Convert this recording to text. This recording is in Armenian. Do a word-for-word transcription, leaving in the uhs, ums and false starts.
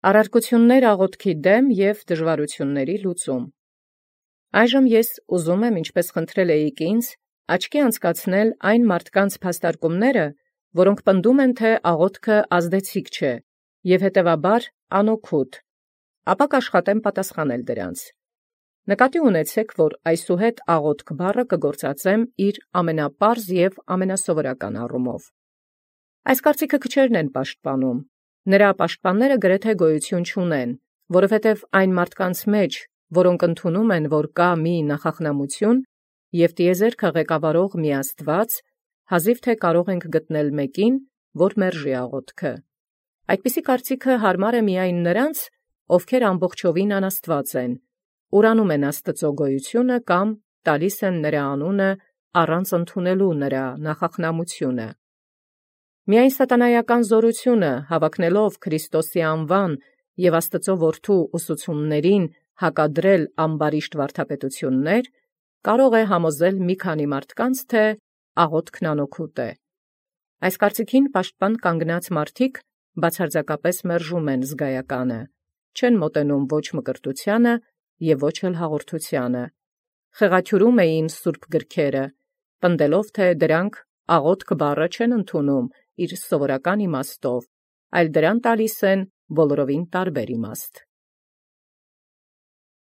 Առարկություններ աղոթքի դեմ և դժվարությունների լուծում։ Այժմ ես ուզում եմ, ինչպես խնդրել էիք ինձ, աչքի անցկացնել այն մարդկանց փաստարկումները, որոնք պնդում են, թե աղոթքը ազդեցիկ չէ և հետևաբար անօգուտ, ապա կաշխատեմ պատասխանել դրանց։ Նկատի ունեցեք, որ այսուհետ աղոթք բառը կգործածեմ իր ամենապարզ և ամենասովորական առումով։ Այս կարծիքը քչերն են պաշտպանում, նրա պաշտպանները գրեթե գոյություն չունեն, որովհետև այն մարդկանց մեջ, որոնք ընդունում են, որ կա մի նախախնամություն և տիեզերքը ղեկավարող մի Աստված, հազիվ թե կարող ենք գտնել մեկին, որ մերժի աղոթքը։ Այդպիսի կարծիքը հարմար է միայն նրանց, ովքեր ամբողջովին անաստված են, ուրանում են Աստծո գոյությունը կամ տալիս են նրա անունը առանց ընդունելու նրա նախախնամությունը։ Միայն սատանայական զորությունը, հավակնելով Քրիստոսի անվան և Աստծո որդու ուսուցումներին հակադրել ամբարիշտ վարդապետություններ, կարող է համոզել մի քանի մարդկանց, թե աղոթքն անօգուտ է։ Այս կարծիքին պաշտպան կանգնած մարդիկ բացարձակապես մերժում են զգայականը, չեն մոտենում ոչ մկրտությանը և ոչ էլ հաղորդությանը, խեղաթյուրում էին սուրբ գրքերը, պնդելով, թե դրանք աղոթք բառը չեն ընդունում իր սովորական իմաստով, այլ դրան տալիս են բոլորովին տարբեր իմաստ։